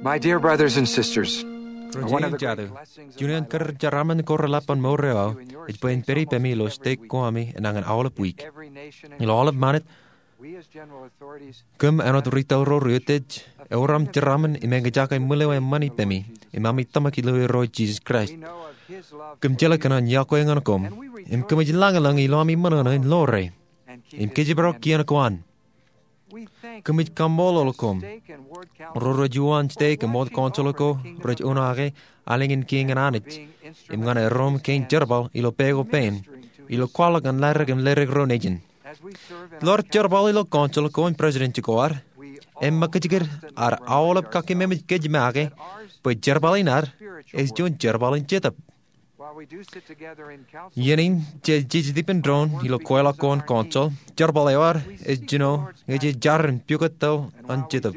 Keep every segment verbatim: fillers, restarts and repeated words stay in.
My dear brothers and sisters, Ro jeiū im jatū, juon in karijeraṃṃan ko reḷap an mour eo aō ej bwe in pād ippemi ilo stek ko ami enañin aolep wiik. Ilo aolep ṃanit, kōm āinwōt retail ro ri utiej, eor aṃ jeraṃṃan im eñjake ṃwileeṃṃan ippemi im ami tōmak ilo Irooj Jisōs Kraist. Kōm jeḷā kōn an yokwe ñan koṃ, im kōmij lañlōñ ilo ami ṃōṇōṇō in ḷoore im kōjparok kien ko an. Kōmij kaṃṃoolol koṃ, ro rej uwaan stek im wōt council ko rej unaake alen in kiiñ an Anij im ñan erom kein jerbal ilo pā ko pein, ilo kwaḷọk ñan ladik im ladik ro nejin. Ilo ad jerbal ilo council ko im president ko ad, eṃṃakijkid ad aolep kakkememej kōj make bwe jerbal in ad ej juon jerbal in jetōb. Iien in jej jejjet ippān doon ilo kweilọk ko an council, jerbal eo ad ej jino ñe jej jar im pukot taḷ an jetōb.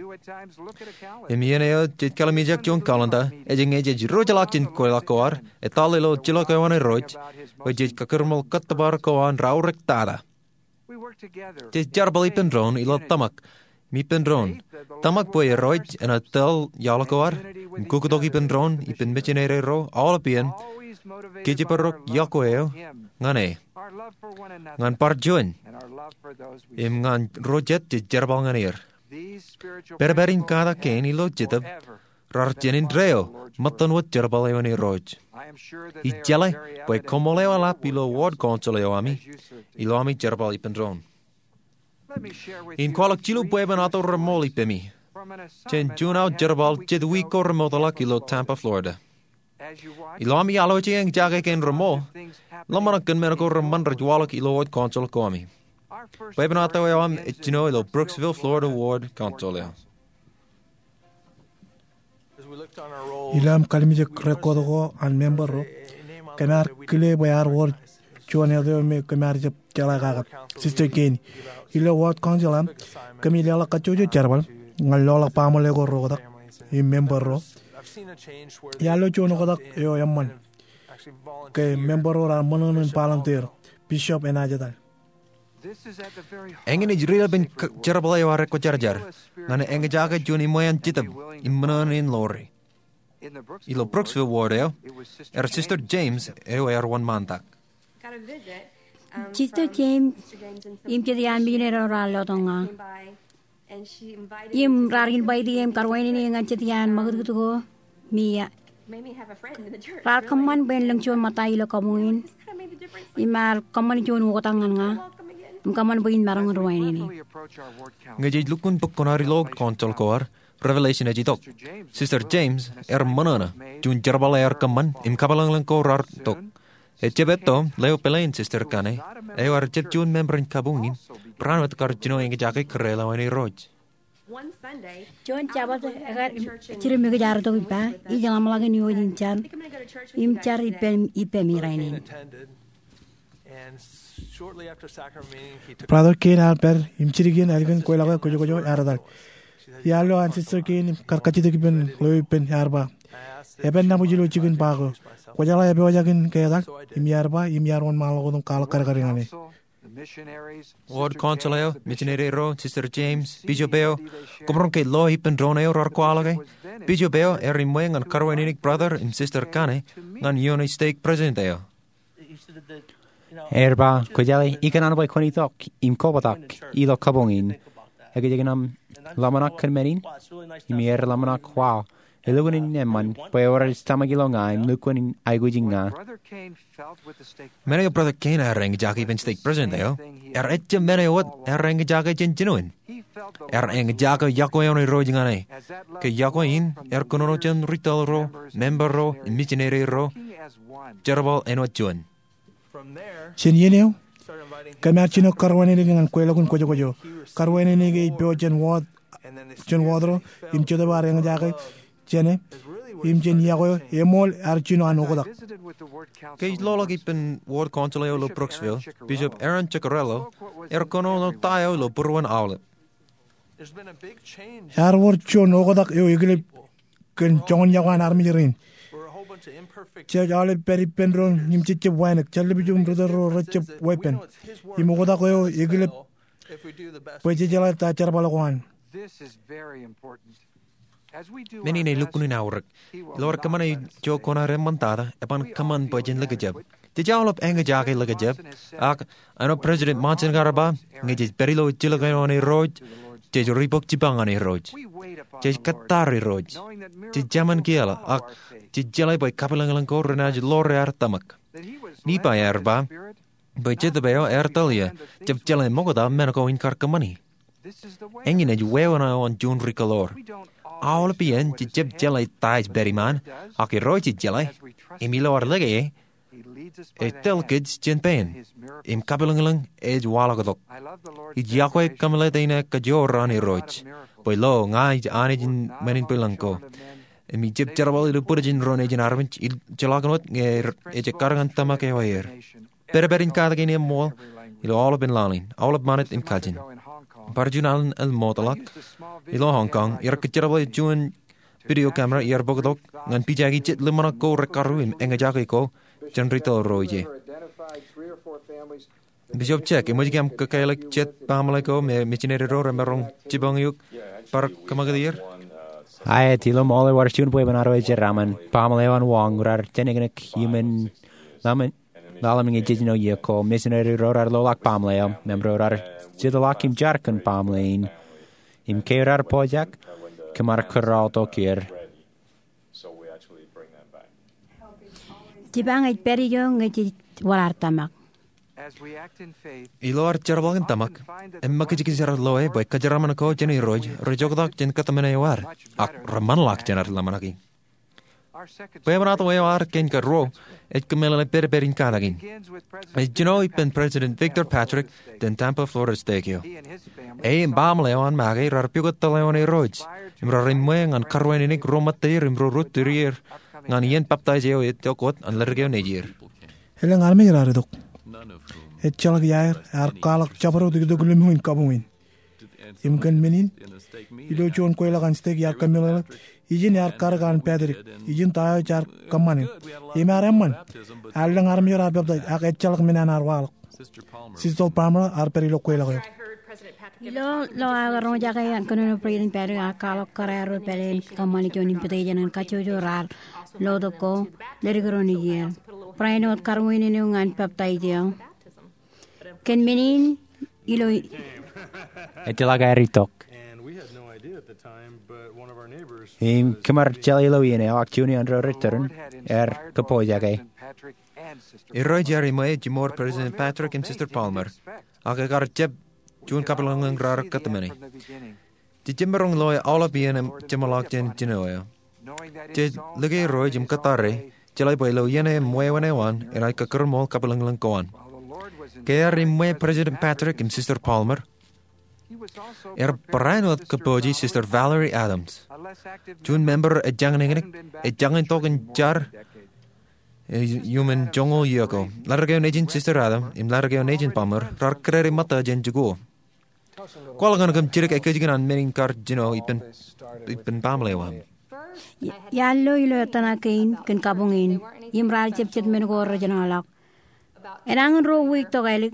Im iien eo jej kallimjek juon calendar, ej ñe jej diwōjḷọk jān kweilọk ko ad, etal ilo jilọk eo an Irooj, bwe jej kakūrṃool kōttōpar ko an raorōk tata. Jej jerbal ippān doon ilo tōmak im ippān doon. Tōmak bwe Irooj enaaj tōl iaḷ ko ad im kukkutok ippān doon ippān mijinede ro aolep iien, kōjparok yokwe eo ñan e, ñan bar juon, im ñan ro jet jej jerbal ñan er. Pedped in kata kein ilo jetōb raar jān indeeo ṃōttan wōt jerbal eo an Irooj. Ij jeḷā bwe koṃṃool eo eḷap ilo ward council eo ami ilo ami jerbal ippān doon. In kwaḷọk jilu bwebwenato reṃool ippemi jān juon aō jerbal jet wiik ko remootḷọk ilo Tampa, Florida. Ilo ami alwōje eñjake kein reṃool, ḷōmṇak kōn men ko reṃṃan rej waḷọk ilo ward council ko ami. Bwebwenato eo aṃ ej jino ilo Brooksville, Florida ward council eo. Ilo aṃ kallimjek record ko an member ro, kōm ar kile bwe ear wor juon eto eo me kōm ar jab jeḷā kake, Sister Kane. Ilo ward council aṃ, kōmij leḷọk kajjojo jerbal ñan loḷọk baaṃle ko reoktak im member ro. Iar lo juon oktak eo eṃṃan ke member ro raar ṃōṇōṇō in volunteer. Bishop enaaj etal. Eñin ej ri-ippān k-, jerbal eo ad ekwōjarjar ñan eñjake juon iṃwean jetōb im ṃōṇōṇō in ḷoore. Ilo Brooksville ward eo, er Sister James eo ear wōnṃaantak. Sister James im jet iaan mijinede ro raar lotok ña. Im raar invite e im karuwainene ñan jet iaan ṃakūtkūt ko mi, a, raar kōṃṃan bwe en lōñ juon ṃōtta ilo kabuñ in. Im ear kōṃṃan juon oktak ñan ña im kōṃṃan bwe in maroñ in ruwainene. Ñe jej lukkuun bok kuṇaad ilo ward council ko ad, Revelation ej itok. Sister James ear ṃōṇōṇō juon jerbal ear kōṃṃan im kapilōñlōñ ko raar tok. Ejjab etto, leo pālle in Sister Kane, eo ear jab juon member in kabuñ in, barāinwōt kar jino eñjake kōrā ḷọk an Irooj. Juon Jabōt, ekar jidim ikōj ad itok ippa, ij ḷōmṇak in iwōj in jar, im jar ippemi, ippemi rainin. Brother Kane ear pād im jidik iien ālikin kweilọk eo kwōjkwōj eo ear etal. Iar lo an Sister Kane im kar kajjitōk ippān ḷeo ippān, ear ba, "Eban nabōj ilo jikin ba ko. Kwōjeḷā epojak in ke etal?" Im iar ba, im iar wōnṃaanḷọk wōt im kwaḷọk kadkad ñan e. Ward council eo, mijinede ro, Sister James, bishop eo, kōmro ke lo ippān doon eo raar kwaḷọke. Bishop eo ear iṃwe ñan karuwainene brother im Sister Kane ñan ioon stek president eo. Ear ba, "Kwōjeḷā, ikōṇaan bwe kwōn itok im kobtak ilo kabuñ in. Ekwe, ekwe, aṃ ḷōmṇak kōn men in?" Im ear ḷōmṇak, "Wow, elukkuun in eṃṃan bwe eor ej tōmak ilo ña im lukkuun in aikuj ña." Men eo Brother Kane ear eñjake ippān stek president eo, ear ejjab men eo wōt ear eñjake jān jinoin. Ear eñjake yokwe eo an Irooj ñan e. Ke yokwe in ear kōnono jān retail ro, member ro, im mijinede ro, jerbal āinwōt juon. Jān iien eo, kōm ar jino karuwainene ñan kweilọk in kwōjkwōj eo. Karuwainene ej pojak jān ward, jān ward ro, im jetōb ear eñjake jān e, im jān yokwe eo, eṃool ear jino an oktak. Ke ij loḷọk ippān ward council eo ilo Brooksville, Bishop Aaron Ciccarello ear kōnono ta eo ilo būruon aolep. Ear wōr juon oktak eo ekilep kōn joñan yokwe an armej rein. Jej aolep pād ippān doon im jejjab wānōk, jar lepin retail ro rejjab weeppān. Im oktak eo ekilep bwe jejeḷā ta jerbal ko an. Men in elukkuun aorōk. Ilo ad kōṃṃane ijo koṇaad eṃṃantata, eban kōṃṃan bwe jen likjab. Jej aolep eñjake likjab, ak āinwōt President Monson kar ba, ñe jej pād ilo ejjeḷọk eo an Irooj, jej ribok jipañ ñan Irooj. Jej kōttar Irooj. Jej jemān kieḷā, ak jej jeḷā bwe kapilōñlōñ ko renaaj ḷoor ear tōmak. Nifai ear ba bwe Jetōb eo ear tōl ie, jab jeḷā ṃokta men ko in kar kōṃṃani. Eñin ej wāween eo an juon ri kōḷoor. Aolep iien jej jab jeḷā ta ej pād iṃaan, ak Irooj ej jeḷā. Im ilo ad lōke e, ej tōl kōj jān pein. Im kapilōñlōñ ej waḷọktok. Ij yokwe kōmeḷeḷe in ekajoor an Irooj. Bwe lo, ña ij Anij in men in bwilōñ ko. Im ij jab jerbal ilo bwidejin ro nejin armej ijolọkin wōt ñe ejekar ñan tōmak eo aer. Pedped in katakin eṃṃool ilo aolepān laḷ in, aolep ṃanit im kajin. Bar juon alen eḷmootḷọk ilo Hong Kong, iar kōjjerbale juon video camera iar bōktok ñan pijaki jet ḷōmṇak ko rekarru im eñjake ko jān ri tōl ro ije. Bishop Chek, eṃōj ke aṃ kōkālik jet baaṃle ko me misineri ro remaroñ jipañ eok bar kōṃakūt er? Aet, ilo ṃool eo ad juon bwebwenato eo jeraaṃṃan, baaṃle eo an wañ raar jeneknek iuṃwin ḷalem, ḷalem ñe jejino iiō ko. Misineri ro raar loḷọk baaṃle eo, member ro raar jetḷọk im jar kōn baaṃle in. Im ke raar pojak, kōmar kōrọọltok er. Jipañ ej pād ijo ñe jej wōr ad tōmak. Ilo ad jerbal in tōmak, eṃṃakijkij ad loe bwe kōjeraaṃṃan ko jān Irooj rej oktak jān kōtmāne eo ad, ak reṃanḷọk jān ad ḷōmṇaki. Bwebwenato eo ad kein karuo ej kōmeḷeḷe pedped in katakin. Ej jino ippān President Victor Patrick jān Tampa Florida Stake eo. E im baaṃle eo an make raar pukot tōl eo an Irooj im raar iṃwe ñan karuwainenik ro ṃōtteir im ro rūttoḷ er ñan iien peptaij eo ej itok wōt an ledik eo nejier. Elōñ armej raar itok. Ejjeḷọk iaer ear kwaḷọk jabdewōt itok ḷōmṇak in kabuñ in. Im kōn men in, ilo juon kweilọk an stake iar kōmeḷeḷe, ijin ear karōk an Patrick, ijin ta eo jaar kōṃṃane. Im ear eṃṃan, ear lōñ armej ro aer peptaij, ak ejjeḷọk men an ear waḷọk. Sister Palmer ear pād ilo kweilọk eo. Ilo ḷọk aō roñjake kōnono President Patrick ear kwaḷọk kōrā ro pād in kōṃṃane juon invitation ñan kajjojo raar lotok ko ledik ro nejier. Barāinwōt karuwainenik eo ñan peptaij eo. Kōn men in ilo ejjeḷọk aer itok. Im kōmar jeḷā ilo iien eo ak juon iaan ro rej tōre ear kōpojak e. Irooj ear iṃwe jiṃor President Patrick im Sister Palmer, ak ekar jab juon kapilōñlōñ raar kōtmāne. Jej jemaroñ loe aolep iien jeṃḷọk jān jino eo. Jej lōke Irooj im kōttar e, jeḷā bwe ilo iien eo im wāween eo an enaaj kōkūrṃool kapilōñlōñ ko an. Ke ear iṃwe President Patrick im Sister Palmer, ear barāinwōt kōpooje Sister Valerie Adams, juon member ejjañin eñin, ejjañin tok in jar iuṃwin joñoul iiō ko. Ledik eo nejin Sister Adams im ledik eo nejin Palmer raar kōdade ṃōtta jān jikuuḷ. Kwaḷọk ñan kōm jidik ekkejel an men in kar jino ippān, ippān baaṃle eo aṃ. Iar lo ilo ettōṇak kein kōn kabuñ in, im raar jab jet men ko rej jeḷọk. Enañin ruo wiik tokālik,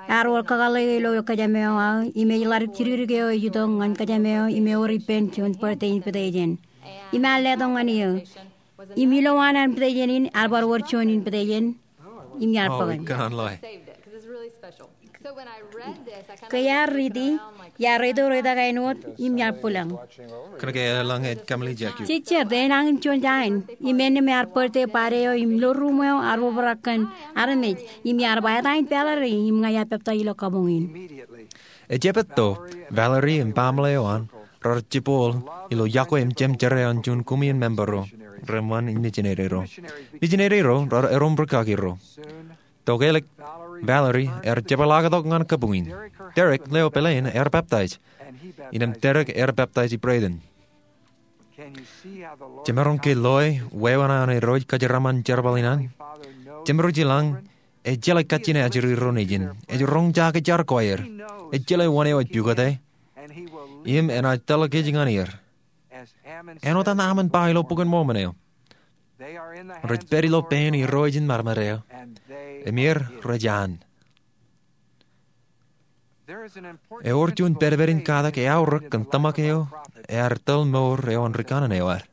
ear wōr kakōḷḷe ilo kōjām eo aō, im ej ḷadik jidikdik eo ej itok ñan kōjām eo, im ewōr ippān juon birthday invitation. Im ear letok ñan eō. Im ilowaan an invitation in, ear bar wōr juon invitation, im iar bōk. Ke iar riiti, iar reito reitak āinwōt, im iar bwilōñ. Kōnke eḷaññe ej kōmālij eok. Jej jab enañin juon jañin, im āinwōt ear birthday party eo, im ilo ruum eo ear obrak kōn armej, im iar ba, eta in Valerie, im ña iar peptaij ilo kabuñ in. Ejepetto, Valerie im baaṃle eo an raar jibboḷ ilo yokwe im jemjerā eo an juon koṃeañ member ro reṃṃan in misineri ro. Misineri ro raar erom rūkaki ro. Tokālik, Valerie ear jepḷaaktok ñan kabuñ in. Derek, leo pāleen, ear peptaij. Innem Derek ear peptaij ippān. Jemaroñ ke loe wāween eo an Irooj kōjeraaṃṃan jerbal in an? Jemaroñ ilañ, ej jeḷā kajjien ajri ro nejin. Ej roñjake jar ko aer. Ej jeḷā wōn eo ej pukot e. Im enaaj tōl kōj ñan er. Āinwōt an aṃ en ba ilo Bok in Mormon eo, rej pād ilo pein Irooj in ṃadṃōd eo, im er rej an. Ewōr juon pedped in katak eaorōk kōn tōmak eo ear tōl mour eo an ri kanaan eo ad,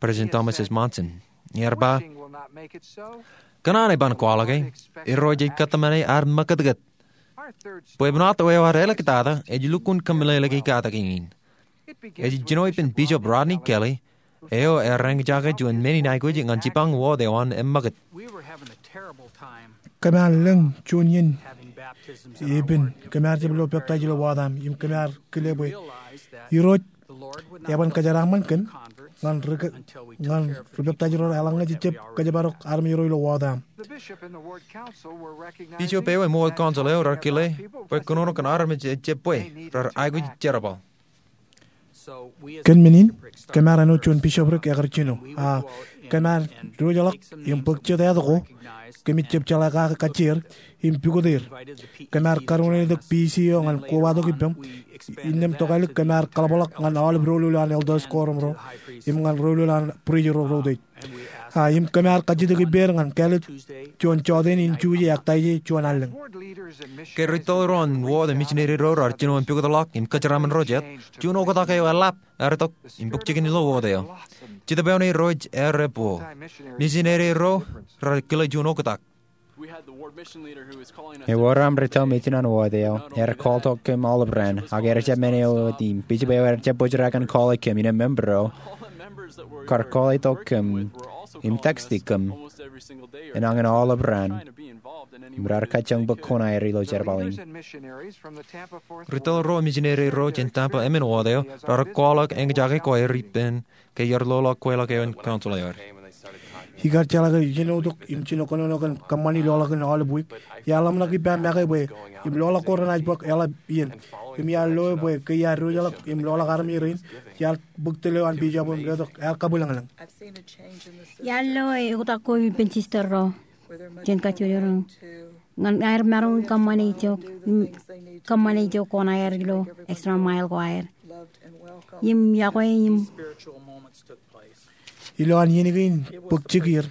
President Thomas S. Monson. Ear ba, kōn an eban kwaḷọke, Irooj ej kōtmāne ad ṃakūtkūt. Bwebwenato eo ad āliktata ej lukkuun kōmeḷeḷeiki katak in. Ej jino ippān Bishop Rodney Kelly, eo ear eñjake juon men in aikuj ñan jipañ wōt eo an eṃṃakūt. Kōm ar lōñ juon iien ippān kōm ar jab lo peptaij ilo water am, im kōm ar kile bwe Irooj eban kōjeraaṃṃan kōm ñan ri, ñan ri peptaij ro reḷak ñe jejjab kōjparok armej ro ilo water am. Bishop eo im wōt council eo rar kile bwe kōnono kōn armej ejjab bwe rar aikuj jerbal. Kōn men in, kōm ar āinwōt juon bishopric ekar jino. A kōm ar diwōjḷọk im bōk jet āt ko, kōmij jab jeḷā kake kajjier im pukot er. Kōm ar karuwainene tok P C eo ñan kobatok ippem. Innām tokālik kōm ar kaḷapḷọk ñan aolep doulul an elders quorum ro im ñan doulul an priest ro ro teej. A im kōm ar kajjitōk ippāer ñan kāālōt juon jọteen in Juje ak Taije juon allōñ. Ke ri tōl ro an wōt im misineri ro rar jino im pukotḷọk im kōjeraaṃṃan ro jet, juon oktak eo eḷap ear itok im bōk jikin ilo wōt eo. Jetōb eo ṇe Irooj ear ebbo. Misineri ro rar kile juon oktak. Ewōr aṃ ri tōl mejān an wōt eo, ear call tok kōm aolep raan, ak ear jab men eo wōt im bishop eo ear jab bōjrak in call e kōm, innām member ro kar call e tok kōm im text e kōm enañin aolep raan im rar kajjioñ bōk koṇaer ilo jerbal in. Ri tōl ro misineri ro jān Tampa emān wōt eo rar kwaḷọk eñjake kwaer ippān ke iar loḷọk kweilọk eo in council eo ad. Ikar jeḷā ke ijenotok im jino kōnono kōn kōṃṃani loḷọkin aolep wiik, iar ḷōmṇak ippa make bwe im loḷọk ko renaaj bōk eḷap iien. Im iar loe bwe ke iar diwōjḷọk im loḷọk armej rein, iar bōk tōl eo an bishop im letok ear kabwilōñlōñ. Iar loe oktak ko ippān sister ro jān kajjojo ro ñan aer maroñ in kōṃṃane itok, kōṃṃane itok koṇaer ilo extra mile ko aer. Im iọkwe im. Ilo an iien kein bōk jikier,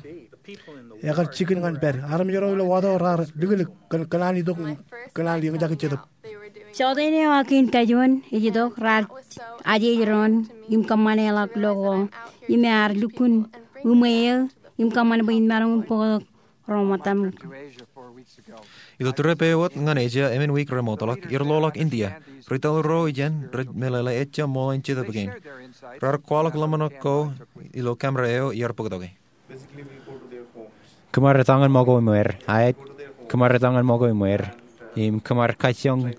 ekar jikin ñan pād. Armej ro ilo water ro raar liklik kōn kōṇaan itok, kōṇaan eñjake jetōb. Jọteen eo ak kein kajuon ej itok raar ajeje doon im kōṃṃane ḷọk lo ko im ear lukkuun uṃwe eō im kōṃṃan bwe in maroñ in bōktok ro ṃōttaṃ. Ilo trip eo wōt ñan Asia emān wiik remootḷọk, iar loḷọk India. Ri tōl ro ijeṇ rej meḷeḷe ejja ṃool in jetōb kein. Raar kwaḷọk ḷōmṇak ko ilo camera eo iar bōktoke. Kōm ar etañin ṃōko im wōr, aet, kōm ar etañin ṃōko im wōr, im kōm ar kajjioñ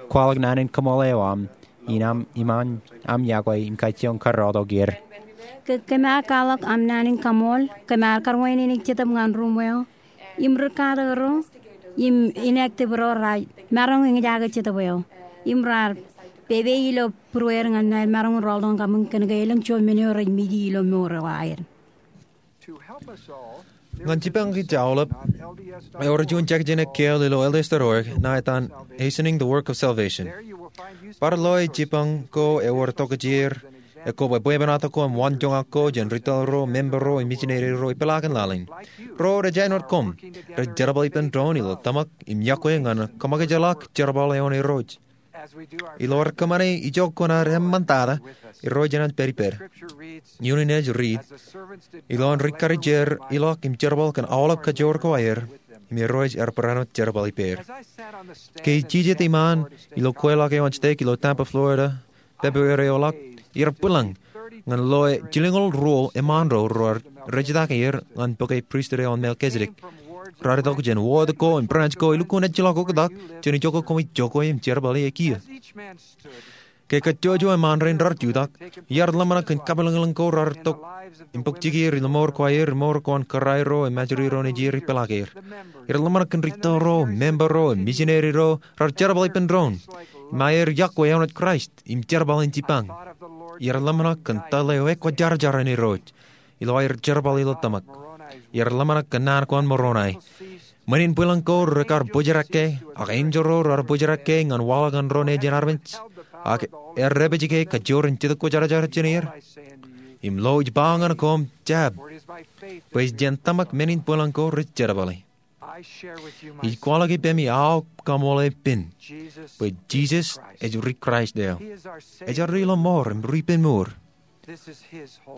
kwaḷọk naan in kaṃool eo aṃ, im aṃ, im aṃ, aṃ iọkwe, im kajjioñ karreotok er. Ke kōm ar kwaḷọk aṃ naan in kaṃool, kōm ar karuwainene jetōb ñan ruṃweo, im ri katak ro, im inactive ro raar maroñ in eñjake jetōb eo, im raar pepe ilo būrueer ñan aer maroñ in rọọltok ñan kaṃṃool kōn ke elōñ juon men eo rej meji ilo mour eo aer. Ñan jipañ kōj aolep, ewōr juon jekjek in ekkeel ilo L D S dot org ṇa etan Hastening the Work of Salvation. Bar loe jipañ ko ewōr tokjāer, ekwe bwebwenato ko im waanjoñak ko jān ri tōl ro, member ro, im misineri ro ippiḷaakin laḷ in. Ro rej āinwōt koṃ, rej jerbal ippān doon ilo tōmak im iọkwe ñan kōṃakijḷọk jerbal eo an Irooj. Ilo ad kōṃṃane ijo kuṇaad eṃṃantata, Irooj enaaj pād ippād. Iunin ej riit, ilo an ri karijer ilọk im jerbal kōn aolep kajoor ko aer, im Irooj ear barāinwōt jerbal ippāer. Ke ij jijet iṃaan ilo kweilọk eo an stek ilo Tampa, Florida, February eo ḷọk, iar bwilōñ ñan loe jilñoul ruo eṃṃaan ro raar rejtake er ñan bōke pristut eo an Melchizedek. Raar itok jān wōt ko im branch ko elukkuun ejjeḷọk oktak jān ijo ko koṃij jokwe im jerbali e kiiō. Ke kajjojo eṃṃaan rein raar jutak, iar ḷōmṇak kōn kabwilōñlōñ ko raar tok im bōk jikier ilo mour ko aer im mour ko an kōrā ro im ajri ro nejier ippiḷaaker. Iar ḷōmṇak kōn ri tōl ro, member ro, misineri ro raar jerbal ippān doon im aer iọkwe āinwōt Kraist im jerbal in jipañ. Iar ḷōmṇak kōn tōl eo ekwōjarjar an Irooj ilo aer jerbal ilo tōmak. Iar ḷōmṇak kōn naan ko an Moronai. Ṃwin in bwilōñ ko rekar bōjrak ke, ak enjeḷ ro raar bōjrak ke ñan waḷọk an ro nejin armej, ak ear dāpij ke kajoor in Jetōb Kwōjarjar jān er. Im lo ij ba ñan koṃ, jab, bwe ej jān tōmak men in bwilōñ ko rej jerbali. Ij kwaḷọk ippemi aō kaṃool epen bwe Jisōs ej ri Kraist eo. Ej ri lọmọọr im ri ippān mour.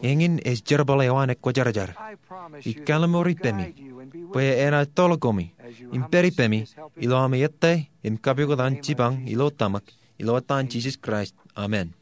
Eñin ej jerbal eo an ekwōjarjar. Ij kalimur ippemi bwe enaaj tōl koṃi im pād ippemi ilo ami ettā im kapokot an jipañ ilo tōmak, ilo etan Jisōs Kraist, amen.